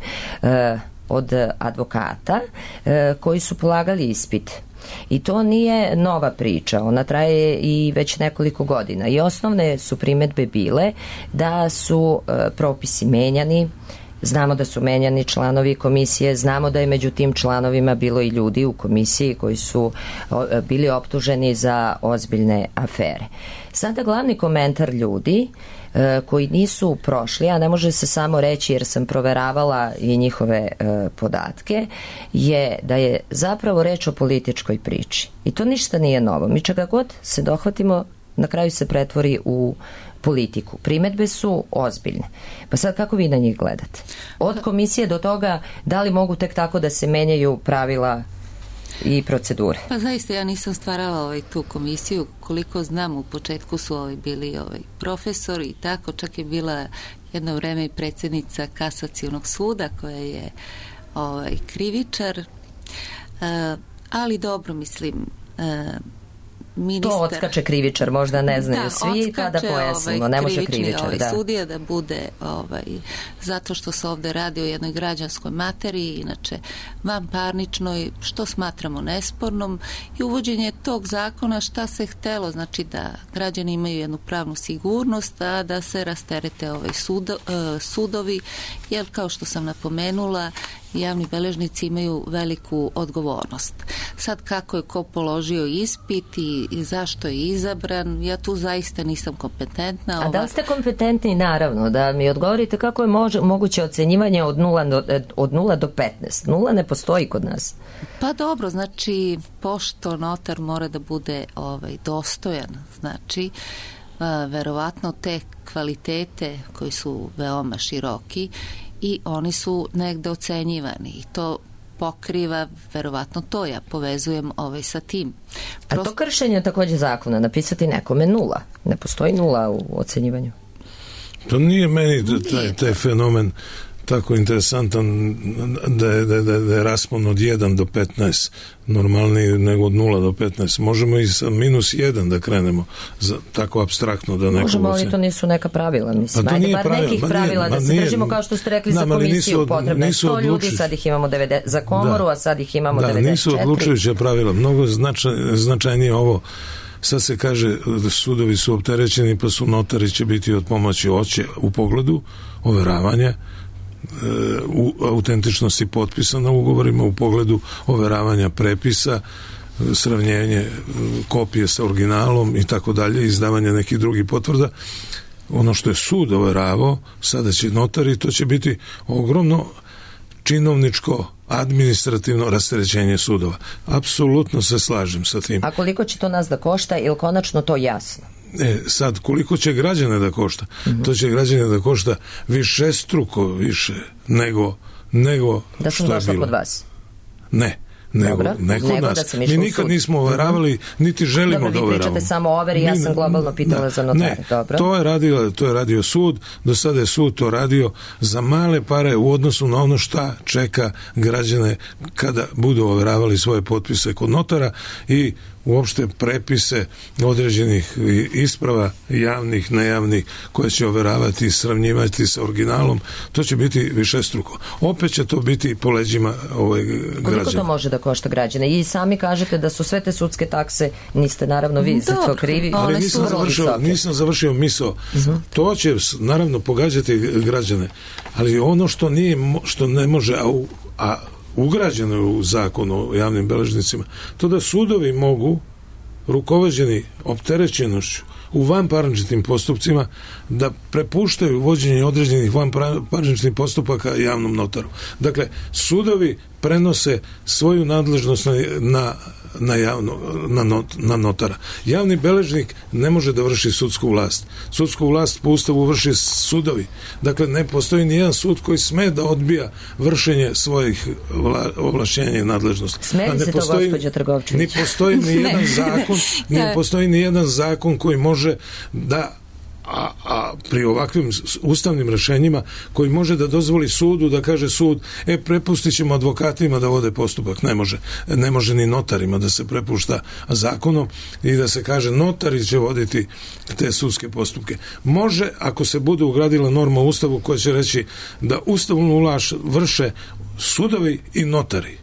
od advokata koji su polagali ispit. I to nije nova priča, ona traje i već nekoliko godina. I osnovne su primetbe bile da su propisi menjani, znamo da su menjani članovi komisije, znamo da je među tim članovima bilo i ljudi u komisiji koji su bili optuženi za ozbiljne afere. Sada glavni komentar ljudi koji nisu prošli, a ne može se samo reći jer sam proveravala i njihove podatke, je da je zapravo reč o političkoj priči. I to ništa nije novo. Mi čega god se dohvatimo, na kraju se pretvori u politiku. Primetbe su ozbiljne. Pa sad kako vi na njih gledate? Od komisije do toga da li mogu tek tako da se menjaju pravila i procedure?
Pa zaista ja nisam stvarala tu komisiju. Koliko znam, u početku su bili profesori i tako, čak je bila jedno vreme i predsjednica Kasacionog suda koja je krivičar, ali dobro, mislim, ministar...
To odskače krivičar, možda ne znaju svi, pa da pojasnimo, ne može krivičar.
Sudija da bude, zato što se ovde radi o jednoj građanskoj materiji, inače vanparničnoj, što smatramo nespornom, i uvođenje tog zakona šta se htelo, znači da građani imaju jednu pravnu sigurnost, a da se rasterete sudovi, jer kao što sam napomenula, javni beležnici imaju veliku odgovornost. Sad kako je ko položio ispit i zašto je izabran, ja tu zaista nisam kompetentna.
A da li ste kompetentni? Naravno, da mi odgovorite kako je moguće ocenjivanje od 0 do 15. 0 ne postoji kod nas.
Pa dobro, znači pošto notar mora da bude dostojan, znači verovatno te kvalitete koji su veoma široki i oni su negde ocenjivani i to pokriva verovatno to, ja povezujem sa tim.
A to kršenje takođe zakona, napisati nekome 0. Ne postoji 0 u ocenjivanju.
To nije meni taj fenomen tako interesantan da je raspon od 1 do 15 normalniji nego od 0 do 15. Možemo i sa -1 da krenemo, tako apstraktno da neko...
Možemo, ali to nisu neka pravila, mislim. Pa ajde, bar nekih pravila da se držimo, kao što ste rekli za komisiju, potrebno je 100 ljudi, sad ih imamo 90, za komoru, a sad ih imamo 94.
Da, nisu odlučujuća pravila, mnogo značajnije ovo. Sad se kaže da sudovi su opterećeni, pa su notari će biti od pomoći u pogledu overavanja autentičnosti potpisa na ugovorima, u pogledu overavanja prepisa, sravnjenje kopije sa originalom i tako dalje, izdavanje nekih drugih potvrda. Ono što je sud overavao, sada će notari, to će biti ogromno činovničko administrativno rasterećenje sudova. Apsolutno se slažem sa tim.
A koliko će to nas da košta, ili konačno to jasno?
Sad, koliko će građane da košta? To će građane da košta višestruko više nego
da sam došla kod vas?
Ne. Nego nas. Mi nikad nismo overavali, niti želimo da overavamo.
Vi pričate samo o overi, ja sam globalno pitala za notare.
Ne, to je radio sud, do sada je sud to radio za male pare u odnosu na ono šta čeka građane kada budu overavali svoje potpise kod notara i uopšte prepise određenih isprava, javnih, nejavnih, koje će overavati i sravnjivati sa originalom, to će biti višestruko. Opet će to biti po leđima građana.
Koliko to može da košta građane? I sami kažete da su sve te sudske takse, niste naravno vi za to krivi.
Ali nisam završio misao. To će naravno pogađati građane, ali ono što ne može, a ugrađeno je u zakon o javnim beležnicima, to da sudovi mogu, rukovođeni opterećenošću u vanparničnim postupcima, da prepuštaju vođenje određenih vanparničnih postupaka javnom notaru. Dakle, sudovi prenose svoju nadležnost na notara. Javni beležnik ne može da vrši sudsku vlast. Sudsku vlast po Ustavu vrši sudovi. Dakle, ne postoji nijedan sud koji sme da odbija vršenje svojih ovlašćenja i nadležnosti.
Smeri se to, gospođo Trgovčević.
Ne postoji nijedan zakon koji može da a pri ovakvim ustavnim rešenjima koji može da dozvoli sudu da kaže sud, prepustit ćemo advokatima da vode postupak. Ne može ni notarima da se prepušta zakonom i da se kaže notari će voditi te sudske postupke. Može, ako se bude ugradila norma u Ustavu koja će reći da ustavnu vlast vrše sudovi i notari.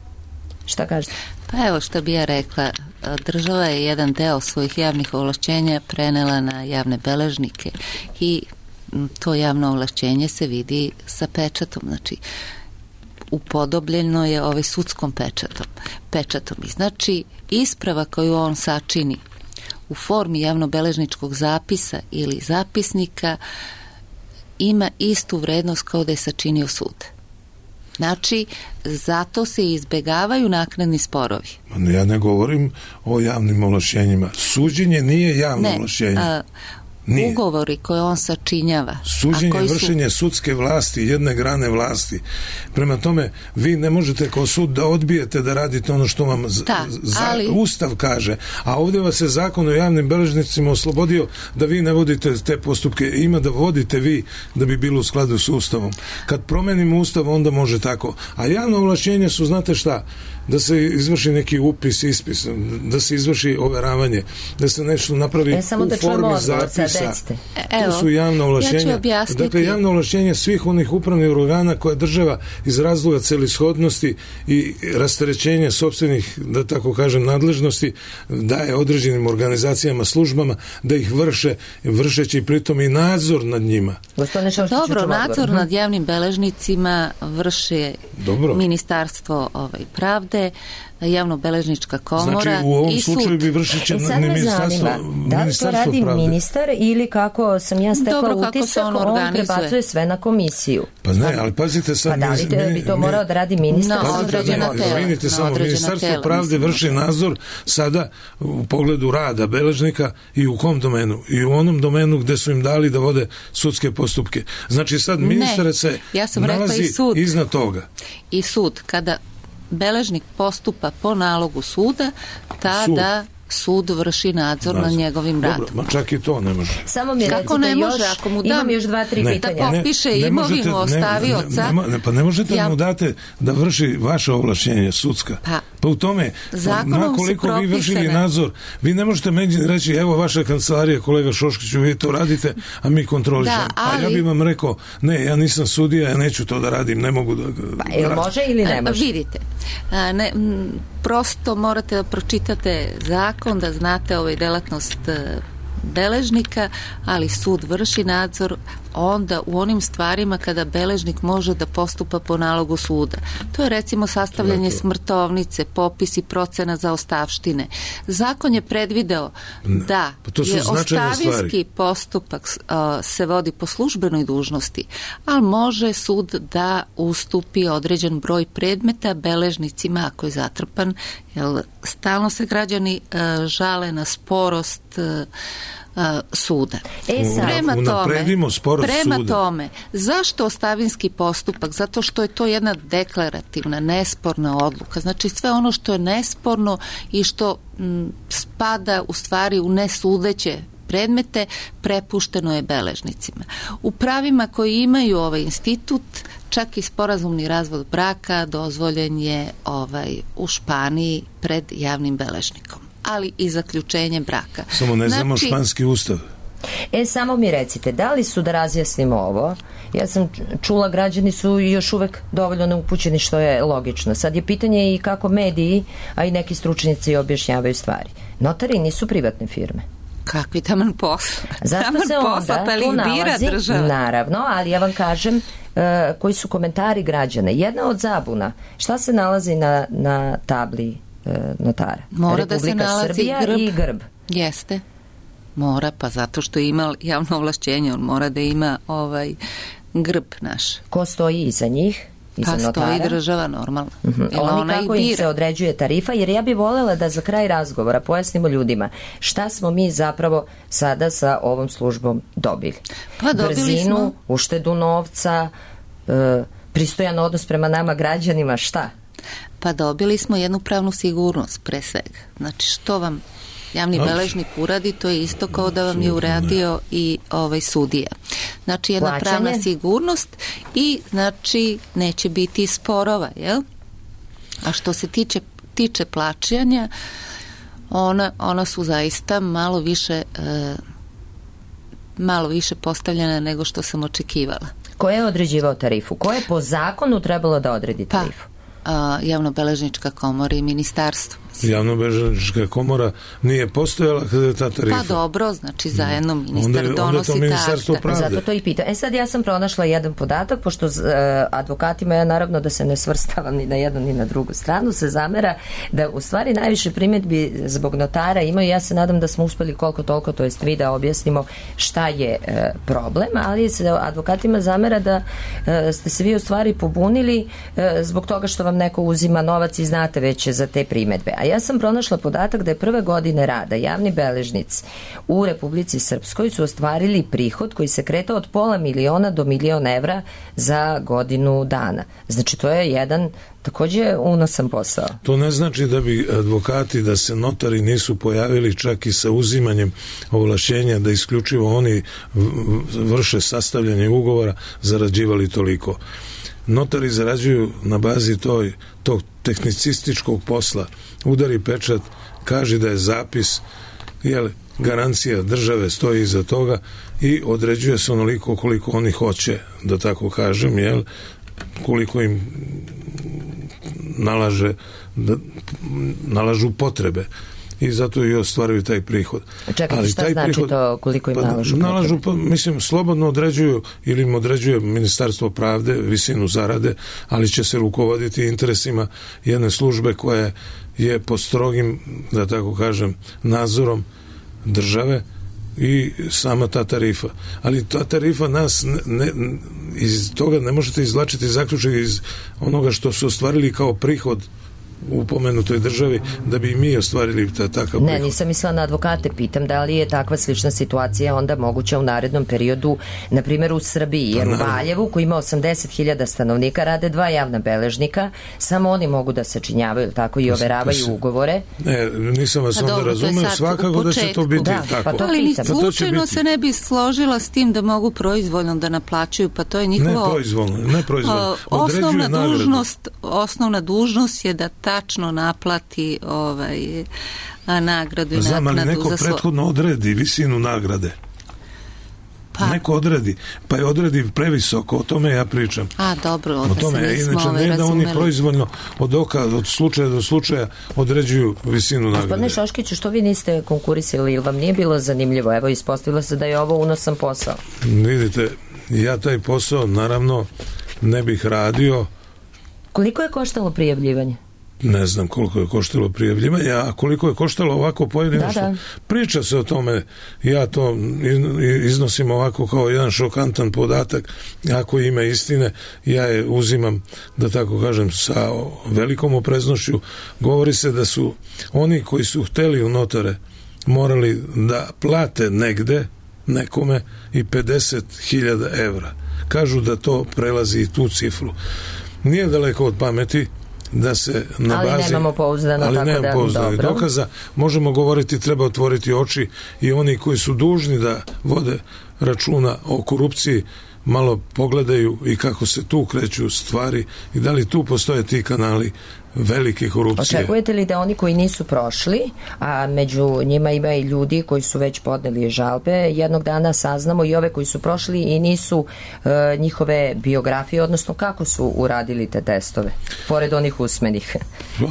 Šta kažete?
Pa evo što bi ja rekla, država je jedan deo svojih javnih ovlašćenja prenela na javne beležnike i to javno ovlašćenje se vidi sa pečatom, znači upodobljeno je sudskom pečatom. I znači isprava koju on sačini u formi javnobeležničkog zapisa ili zapisnika ima istu vrednost kao da je sačinio sud. Znači, zato se izbegavaju naknadni sporovi.
Ja ne govorim o javnim ovlašćenjima. Suđenje nije javno ovlašćenje.
ugovori koje on sačinjava.
Suđenje je vršenje sudske vlasti, jedne grane vlasti. Prema tome, vi ne možete kao sud da odbijete da radite ono što vam Ustav kaže, a ovdje vas je zakon o javnim beležnicima oslobodio da vi ne vodite te postupke, ima da vodite vi da bi bilo u skladu s Ustavom. Kad promenimo Ustav, onda može tako. A javno ovlašćenje su, znate šta, da se izvrši neki upis, ispis, da se izvrši overavanje, da se nešto napravi u formi zapisa. To su javna ovlašćenja. Dakle, javno ovlašćenje svih onih upravnih organa koje država iz razloga celishodnosti i rasterećenja sopstvenih, da tako kažem, nadležnosti daje određenim organizacijama, službama da ih vršeći pritom i nadzor nad njima.
Dobro, nadzor nad javnim beležnicima vrše Ministarstvo pravde, javno-beležnička komora.
Znači, u ovom slučaju bi vršeće ministarstvo
da li to radi
pravde.
Ministar ili kako sam ja stekla utisak, on prebacuje sve na komisiju.
Pa ne, ali pazite sad...
Pa da li bi to morao da radi ministar?
Na određena tela.
Vidite samo, Ministarstvo pravde vrši nadzor sada u pogledu rada beležnika i u kom domenu? I u onom domenu gde su im dali da vode sudske postupke. Znači sad ministar se nalazi iznad toga.
I sud, kada beležnik postupa po nalogu suda, tada sud vrši nadzor nad njegovim radom.
Ma čak i to ne može.
Samo mi
kako ne može, ako mu dam
još 2-3 pitanja.
Da popiše imovinu ostavioca.
Pa ne možete da mu date da vrši vaše ovlašćenje sudska. Pa u tome, koliko vi vršili nadzor, vi ne možete meni reći, evo vaša kancelarija, kolega Šoškiću, vi to radite, a mi kontrolišemo. A ja bih vam rekao, ne, ja nisam sudija, ja neću to da radim, ne mogu da...
Pa ili može ili ne može?
Vidite, prosto morate da pročitate zakon, da znate delatnost beležnika, ali sud vrši nadzor onda u onim stvarima kada beležnik može da postupa po nalogu suda. To je recimo sastavljanje smrtovnice, popis i procena za ostavštine. Zakon je predvideo da je ostavinski postupak se vodi po službenoj dužnosti, ali može sud da ustupi određen broj predmeta beležnicima ako je zatrpan, jer stalno se građani žale na sporost suda. Prema tome, zašto ostavinski postupak? Zato što je to jedna deklarativna, nesporna odluka. Znači sve ono što je nesporno i što spada u stvari u nesudeće predmete, prepušteno je beležnicima. U pravima koji imaju ovaj institut, čak i sporazumni razvod braka dozvoljen je u Španiji pred javnim beležnikom, ali i zaključenje braka.
Samo ne znamo španski ustav.
Samo mi recite, da li su, da razjasnimo ovo, ja sam čula, građani su još uvek dovoljno neupućeni, što je logično. Sad je pitanje i kako mediji, a i neki stručnjaci objašnjavaju stvari. Notari nisu privatne firme.
Kakvi taman posla?
Zato se onda tu nalazi, naravno, ali ja vam kažem koji su komentari građana. Jedna od zabuna, šta se nalazi na tabli notara?
Mora
Republika
da se nalazi
Srbija i grb.
Jeste. Mora, pa zato što ima javno ovlašćenje, on mora da ima grb naš.
Ko stoji iza njih?
Pa stoji država, normalno.
Oni kako im se određuje tarifa, jer ja bih voljela da za kraj razgovora pojasnimo ljudima šta smo mi zapravo sada sa ovom službom dobili.
Pa dobili
brzinu,
smo
uštedu novca, pristojan odnos prema nama građanima, šta?
Pa dobili smo jednu pravnu sigurnost pre svega. Znači što vam javni beležnik uradi, to je isto kao da vam je uradio i sudija. Znači jedna pravna sigurnost i znači neće biti sporova, jel? A što se tiče plaćanja, ona su zaista malo više postavljena nego što sam očekivala.
Ko je određivao tarifu? Ko je po zakonu trebalo da odredi tarifu?
Javnobeležnička komora i ministarstvo.
Javnobeležnička komora nije postojala kada je ta tarifa.
Pa dobro, znači zajedno ministar donosi
takta.
Zato to i pita. Sad ja sam pronašla jedan podatak, pošto advokatima, ja naravno da se ne svrstavam ni na jednu ni na drugu stranu, se zamera da u stvari najviše primjedbi zbog notara imaju. Ja se nadam da smo uspeli koliko toliko, to jest vi, da objasnimo šta je problem, ali se advokatima zamera da ste se vi u stvari pobunili zbog toga što vam neko uzima novac i znate već za te primjedbe. A A ja sam pronašla podatak da je prve godine rada javni beležnici u Republici Srpskoj su ostvarili prihod koji se kretao od $500.000 do $1.000.000 za godinu dana. Znači to je jedan takođe unosan posao.
To ne znači da bi advokati, da se notari nisu pojavili čak i sa uzimanjem ovlašćenja da isključivo oni vrše sastavljanje ugovora, zarađivali toliko. Notari zarađuju na bazi tog tehnicističkog posla. Udari pečat, kaže da je zapis, garancija države stoji iza toga i određuje se onoliko koliko oni hoće, da tako kažem, koliko im nalažu potrebe i zato i ostvaruju taj prihod.
Čekajte, šta znači to koliko im nalažu?
Mislim, slobodno određuju ili im određuje Ministarstvo pravde visinu zarade, ali će se rukovoditi interesima jedne službe koja je pod strogim, da tako kažem, nadzorom države i sama ta tarifa. Ali ta tarifa nas iz toga ne možete izvlačiti zaključak iz onoga što su ostvarili kao prihod u pomenutoj državi, da bi mi ostvarili takav prihod.
Ne, nisam mislila na advokate, pitam da li je takva slična situacija onda moguća u narednom periodu, na primjer u Srbiji, jer u Valjevu koji ima 80.000 stanovnika rade 2 javna beležnika, samo oni mogu da sačinjavaju tako i overavaju ugovore.
Ne, nisam vas onda razumeo, svakako da će to biti tako.
Ali ni slučajno se ne bi složila s tim da mogu proizvoljno da naplaćuju, pa to je njihovo...
Ne proizvoljno.
Osnovna dužnost je da tačno naplati nagradu i naknadu za
Znam, ali neko prethodno odredi visinu nagrade. Neko odredi, pa je odredi previsoko, o tome ja pričam.
Dobro,
o tome inače ne da oni proizvoljno od slučaja do slučaja određuju visinu nagrade.
Gospodine Šoškiću, što vi niste konkurisali ili vam nije bilo zanimljivo? Evo, ispostavilo se da je ovo unosan posao.
Vidite, ja taj posao naravno ne bih radio.
Koliko je koštalo prijavljivanje?
Ne znam koliko je koštalo prijavljivanje, a koliko je koštalo ovako pojedinačno. Priča se o tome, ja to iznosim ovako kao jedan šokantan podatak, ako ima istine, ja je uzimam, da tako kažem, sa velikom opreznošću. Govori se da su oni koji su hteli u notare morali da plate negde nekome i 50.000 evra. Kažu da to prelazi i tu cifru. Nije daleko od pameti da se na bazi...
Ali nemamo pouzdano
dokaza. Možemo govoriti, treba otvoriti oči i oni koji su dužni da vode računa o korupciji malo pogledaju i kako se tu kreću stvari i da li tu postoje ti kanali velike korupcije.
Očekujete li da oni koji nisu prošli, a među njima ima i ljudi koji su već podneli žalbe, jednog dana saznamo i ove koji su prošli i nisu njihove biografije, odnosno kako su uradili te testove, pored onih usmenih?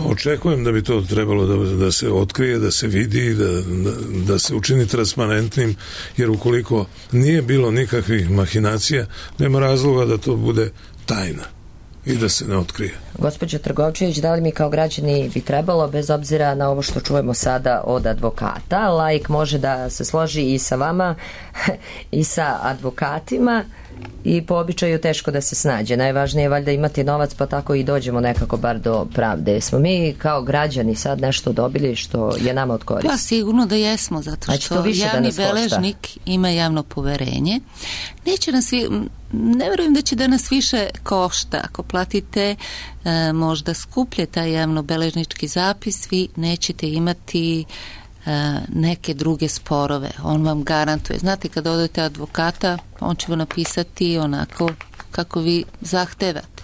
Očekujem da bi to trebalo da se otkrije, da se vidi, da se učini transparentnim, jer ukoliko nije bilo nikakvih mahinacija, nema razloga da to bude tajna i da se ne otkrije.
Gospođo Trgovčević, da li mi kao građani bi trebalo, bez obzira na ovo što čujemo sada od advokata, laik može da se složi i sa vama i sa advokatima i po običaju teško da se snađe. Najvažnije je valjda imati novac, pa tako i dođemo nekako bar do pravde. Smo mi kao građani sad nešto dobili što je nama od koristi?
Pa sigurno da jesmo, zato što javni beležnik ima javno poverenje. Ne verujem da će da nas više košta. Ako platite možda skuplje taj javnobeležnički zapis, vi nećete imati neke druge sporove. On vam garantuje. Znate, kad odete advokata, on će vam napisati onako kako vi zahtevate.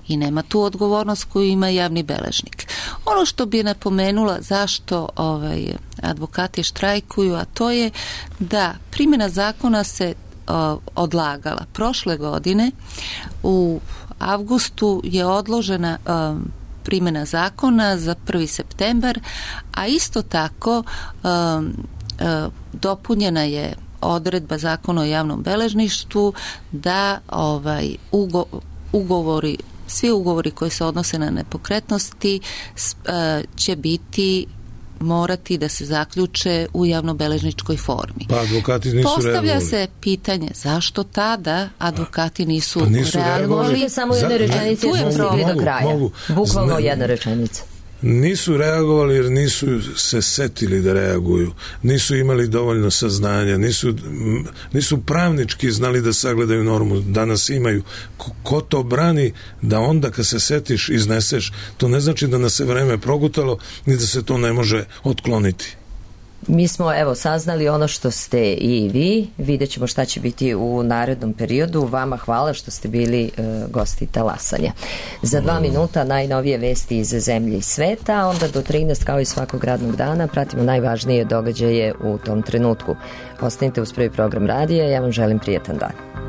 I nema tu odgovornost koju ima javni beležnik. Ono što bi napomenula zašto advokati štrajkuju, a to je da primjena zakona se odlagala. Prošle godine u avgustu je odložena primjena zakona za 1. septembar, a isto tako dopunjena je odredba zakona o javnom beležništvu da svi ugovori koji se odnose na nepokretnosti će morati da se zaključe u javnobeležničkoj formi.
Pa advokati nisu
Postavlja se pitanje zašto tada advokati nisu reagovali. Možete samo jedne rečenice do kraja. Bukvalno jedna rečenica.
nisu reagovali jer nisu se setili da reaguju, nisu imali dovoljno saznanja, nisu pravnički znali da sagledaju normu. Danas imaju. Ko to brani da onda kad se setiš izneseš, to ne znači da nas se vreme progutalo ni da se to ne može otkloniti.
Mi smo saznali ono što ste i vi, vidjet ćemo šta će biti u narednom periodu. Vama hvala što ste bili gosti Talasanja. Za 2 minuta najnovije vesti iz zemlje i sveta, a onda do 13 kao i svakog radnog dana pratimo najvažnije događaje u tom trenutku. Ostanite uz prvi program radija, ja vam želim prijetan dan.